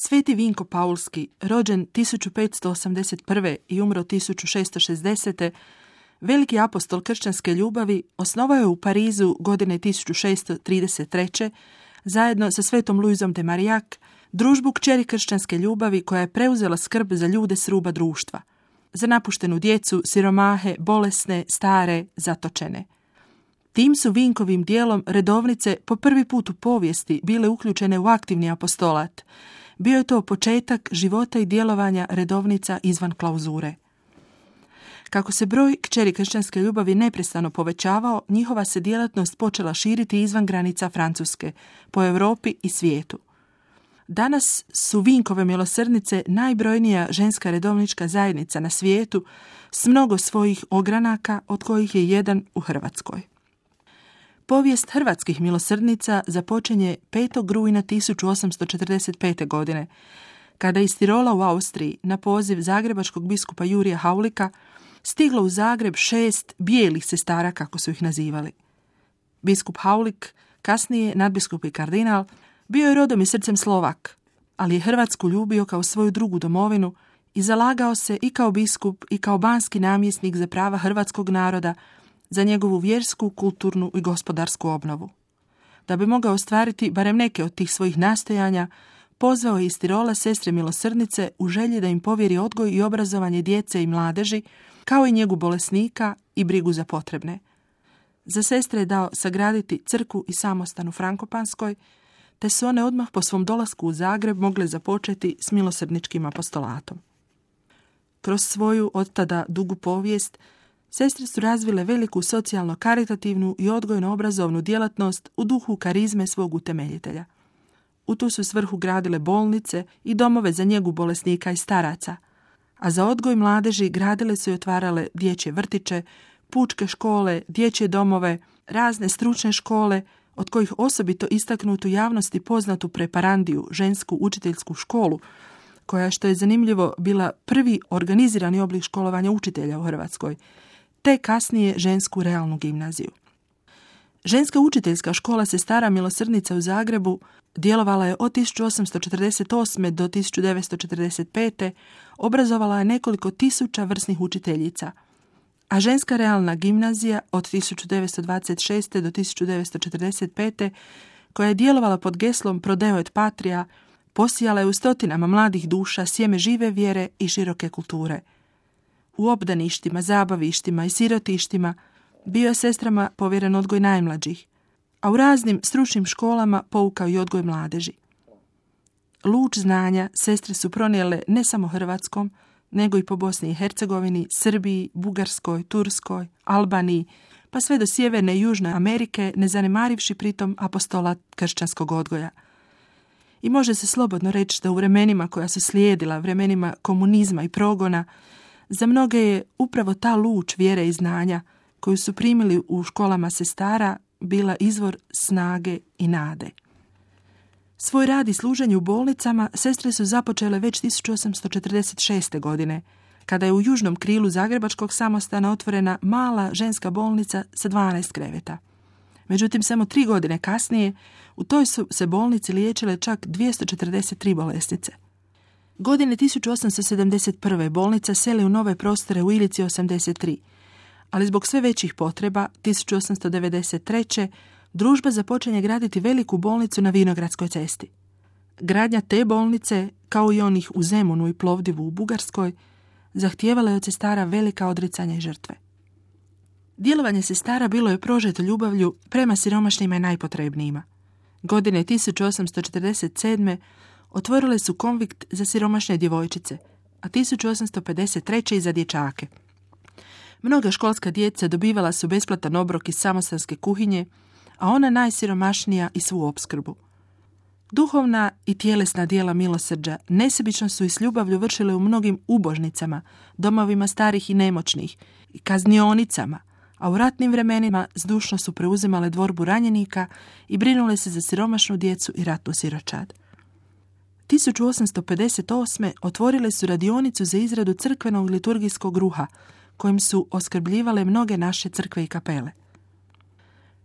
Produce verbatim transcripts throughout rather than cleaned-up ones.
Sveti Vinko Paulski, rođen tisuću petsto osamdeset prve. i umro tisuću šesto šezdesete. veliki apostol kršćanske ljubavi, osnovao je u Parizu godine tisuću šesto trideset treće. zajedno sa svetom Luizom de Marillac družbu kćeri kršćanske ljubavi koja je preuzela skrb za ljude s ruba društva, za napuštenu djecu, siromahe, bolesne, stare, zatočene. Tim su Vinkovim dijelom redovnice po prvi put u povijesti bile uključene u aktivni apostolat. Bio je to početak života i djelovanja redovnica izvan klauzure. Kako se broj kćeri kršćanske ljubavi neprestano povećavao, njihova se djelatnost počela širiti izvan granica Francuske, po Europi i svijetu. Danas su Vinkove milosrdnice najbrojnija ženska redovnička zajednica na svijetu s mnogo svojih ogranaka, od kojih je jedan u Hrvatskoj. Povijest hrvatskih milosrdnica započinje petog rujna tisuću osamsto četrdeset pete. godine, kada iz Tirola u Austriji na poziv zagrebačkog biskupa Jurija Haulika stiglo u Zagreb šest bijelih sestara, kako su ih nazivali. Biskup Haulik, kasnije nadbiskup i kardinal, bio je rodom i srcem Slovak, ali je Hrvatsku ljubio kao svoju drugu domovinu i zalagao se i kao biskup i kao banski namjesnik za prava hrvatskog naroda, za njegovu vjersku, kulturnu i gospodarsku obnovu. Da bi mogao ostvariti barem neke od tih svojih nastojanja, pozvao je iz Tirola sestre milosrdnice u želji da im povjeri odgoj i obrazovanje djece i mladeži, kao i njegu bolesnika i brigu za potrebne. Za sestre je dao sagraditi crkvu i samostan u Frankopanskoj, te su one odmah po svom dolasku u Zagreb mogle započeti s milosrdničkim apostolatom. Kroz svoju od tada dugu povijest, sestre su razvile veliku socijalno-karitativnu i odgojno-obrazovnu djelatnost u duhu karizme svog utemeljitelja. U tu su svrhu gradile bolnice i domove za njegu bolesnika i staraca, a za odgoj mladeži gradile su i otvarale dječje vrtiće, pučke škole, dječje domove, razne stručne škole, od kojih osobito istaknutu javnosti poznatu preparandiju, žensku učiteljsku školu, koja, što je zanimljivo, bila prvi organizirani oblik školovanja učitelja u Hrvatskoj, te kasnije žensku realnu gimnaziju. Ženska učiteljska škola sestara milosrdnica u Zagrebu djelovala je od tisuću osamsto četrdeset osme. do tisuću devetsto četrdeset pete. Obrazovala je nekoliko tisuća vrsnih učiteljica, a ženska realna gimnazija od tisuću devetsto dvadeset šeste. do tisuću devetsto četrdeset pete. koja je djelovala pod geslom Prodeo et Patria, posijala je u stotinama mladih duša sjeme žive vjere i široke kulture. U obdaništima, zabavištima i sirotištima bio je sestrama povjeren odgoj najmlađih, a u raznim stručnim školama poukao i odgoj mladeži. Luč znanja sestre su pronijele ne samo Hrvatskom, nego i po Bosni i Hercegovini, Srbiji, Bugarskoj, Turskoj, Albaniji, pa sve do Sjeverne i Južne Amerike, ne zanemarivši pritom apostolat kršćanskog odgoja. I može se slobodno reći da u vremenima koja su slijedila, vremenima komunizma i progona, za mnoge je upravo ta luč vjere i znanja koju su primili u školama sestara bila izvor snage i nade. Svoj rad i služenje u bolnicama sestre su započele već tisuću osamsto četrdeset šeste. godine, kada je u južnom krilu zagrebačkog samostana otvorena mala ženska bolnica sa dvanaest kreveta. Međutim, samo tri godine kasnije u toj su se bolnici liječile čak dvjesto četrdeset tri bolesnice. Godine tisuću osamsto sedamdeset prve. bolnica seli u nove prostore u Ilici osamdeset tri, ali zbog sve većih potreba tisuću osamsto devedeset treće. družba započinje graditi veliku bolnicu na Vinogradskoj cesti. Gradnja te bolnice, kao i onih u Zemunu i Plovdivu u Bugarskoj, zahtijevala je od sestara velika odricanja i žrtve. Djelovanje sestara bilo je prožeto ljubavlju prema siromašnima i najpotrebnijima. Godine tisuću osamsto četrdeset sedme. otvorile su konvikt za siromašne djevojčice, a tisuću osamsto pedeset treće. i za dječake. Mnoga školska djeca dobivala su besplatan obrok iz samostanske kuhinje, a ona najsiromašnija i svu opskrbu. Duhovna i tjelesna djela milosrđa nesebično su i s ljubavlju vršile u mnogim ubožnicama, domovima starih i nemoćnih, i kaznionicama, a u ratnim vremenima zdušno su preuzimale dvorbu ranjenika i brinule se za siromašnu djecu i ratnu siročad. tisuću osamsto pedeset osme. otvorile su radionicu za izradu crkvenog liturgijskog ruha, kojim su oskrbljivale mnoge naše crkve i kapele.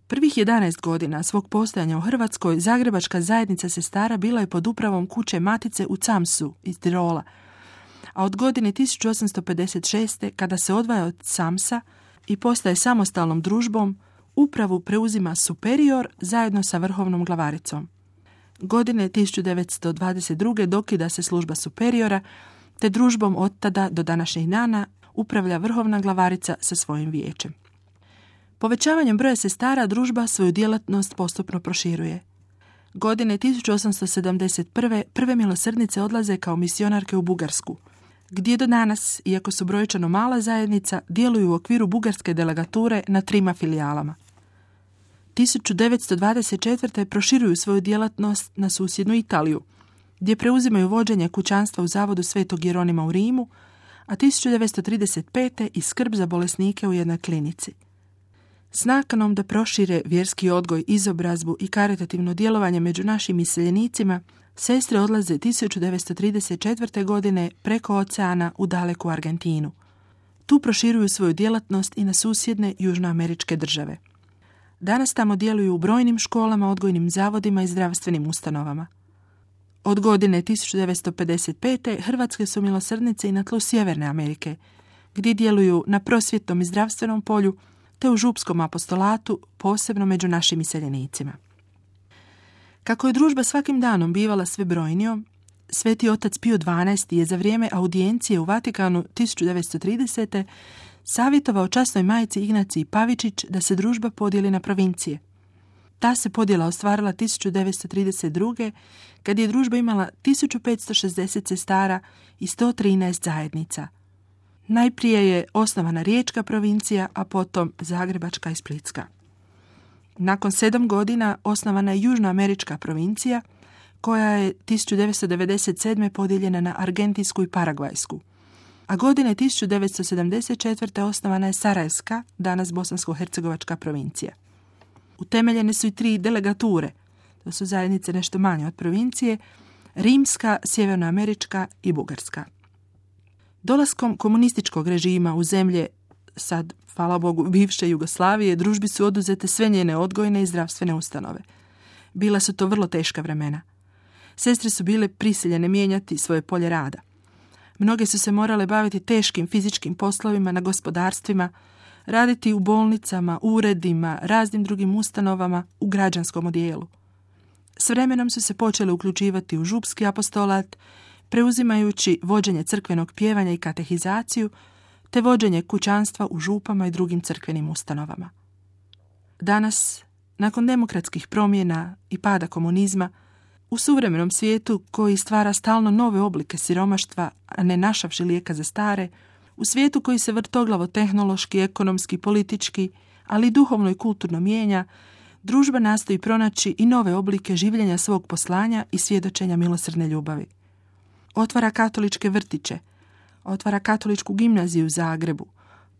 Prvih jedanaest godina svog postojanja u Hrvatskoj Zagrebačka zajednica sestara bila je pod upravom kuće Matice u Camsu iz Tirola, a od godine tisuću osamsto pedeset šeste. kada se odvaja od Camsa i postaje samostalnom družbom, upravu preuzima superior zajedno sa vrhovnom glavaricom. Godine tisuću devetsto dvadeset druge. dokida se služba superiora, te družbom od tada do današnjih dana upravlja vrhovna glavarica sa svojim vijećem. Povećavanjem broja sestara družba svoju djelatnost postupno proširuje. Godine tisuću osamsto sedamdeset prve. prve milosrdnice odlaze kao misionarke u Bugarsku, gdje do danas, iako su brojčano mala zajednica, djeluju u okviru bugarske delegature na trima filijalama. tisuću devetsto dvadeset četvrte. proširuju svoju djelatnost na susjednu Italiju, gdje preuzimaju vođenje kućanstva u zavodu Svetog Jeronima u Rimu, a tisuću devetsto trideset pete. i skrb za bolesnike u jednoj klinici. S nakanom da prošire vjerski odgoj, izobrazbu i karitativno djelovanje među našim iseljenicima, sestre odlaze tisuću devetsto trideset četvrte. godine preko oceana u daleku Argentinu. Tu proširuju svoju djelatnost i na susjedne južnoameričke države. Danas tamo djeluju u brojnim školama, odgojnim zavodima i zdravstvenim ustanovama. Od godine tisuću devetsto pedeset pete. hrvatske su milosrdnice i na tlu Sjeverne Amerike, gdje djeluju na prosvjetnom i zdravstvenom polju, te u župskom apostolatu, posebno među našim iseljenicima. Kako je družba svakim danom bivala sve brojnijom, Sveti otac Pio dvanaesti. je za vrijeme audijencije u Vatikanu tisuću devetsto tridesete. savjetovao časnoj majci Ignaciji Pavičić da se družba podijeli na provincije. Ta se podjela ostvarila tisuću devetsto trideset druge. kad je družba imala tisuću petsto šezdeset sestara i sto trinaest zajednica. Najprije je osnovana Riječka provincija, a potom Zagrebačka i Splitska. Nakon sedam godina osnovana je Južnoamerička provincija, koja je tisuću devetsto devedeset sedme. podijeljena na Argentinsku i Paragvajsku. A godine tisuću devetsto sedamdeset četvrte. osnovana je Sarajevska, danas Bosansko-hercegovačka provincija. Utemeljene su i tri delegature, to su zajednice nešto manje od provincije, Rimska, Sjevernoamerička i Bugarska. Dolaskom komunističkog režima u zemlje, sad, hvala Bogu, bivše Jugoslavije, družbi su oduzete sve njene odgojne i zdravstvene ustanove. Bila su to vrlo teška vremena. Sestre su bile prisiljene mijenjati svoje polje rada. Mnoge su se morale baviti teškim fizičkim poslovima na gospodarstvima, raditi u bolnicama, uredima, raznim drugim ustanovama, u građanskom odijelu. S vremenom su se počele uključivati u župski apostolat, preuzimajući vođenje crkvenog pjevanja i katehizaciju, te vođenje kućanstva u župama i drugim crkvenim ustanovama. Danas, nakon demokratskih promjena i pada komunizma, u suvremenom svijetu koji stvara stalno nove oblike siromaštva, a ne našavši lijeka za stare, u svijetu koji se vrtoglavo tehnološki, ekonomski, politički, ali i duhovno i kulturno mijenja, družba nastoji pronaći i nove oblike življenja svog poslanja i svjedočenja milosrdne ljubavi. Otvara katoličke vrtiće, otvara katoličku gimnaziju u Zagrebu.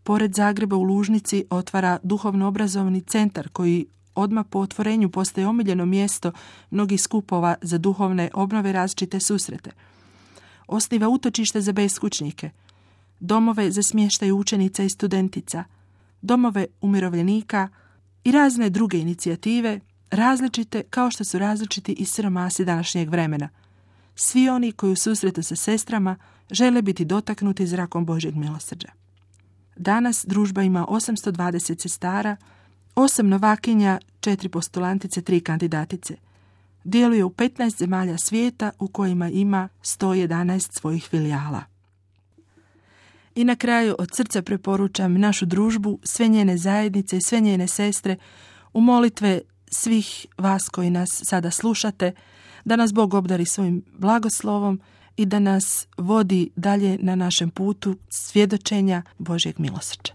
Pored Zagreba u Lužnici otvara duhovno-obrazovni centar koji odmah po otvorenju postaje omiljeno mjesto mnogih skupova za duhovne obnove, različite susrete. Osniva utočište za beskućnike, domove za smještaj učenica i studentica, domove umirovljenika i razne druge inicijative, različite kao što su različiti i siromasi današnjeg vremena. Svi oni koji u susretu sa sestrama žele biti dotaknuti zrakom Božjeg milosrđa. Danas družba ima osamsto dvadeset sestara, osam novakinja, četiri postulantice, tri kandidatice. Djeluje u petnaest zemalja svijeta u kojima ima sto jedanaest svojih filijala. I na kraju od srca preporučam našu družbu, sve njene zajednice i sve njene sestre u molitve svih vas koji nas sada slušate, da nas Bog obdari svojim blagoslovom i da nas vodi dalje na našem putu svjedočenja Božjeg milosrđa.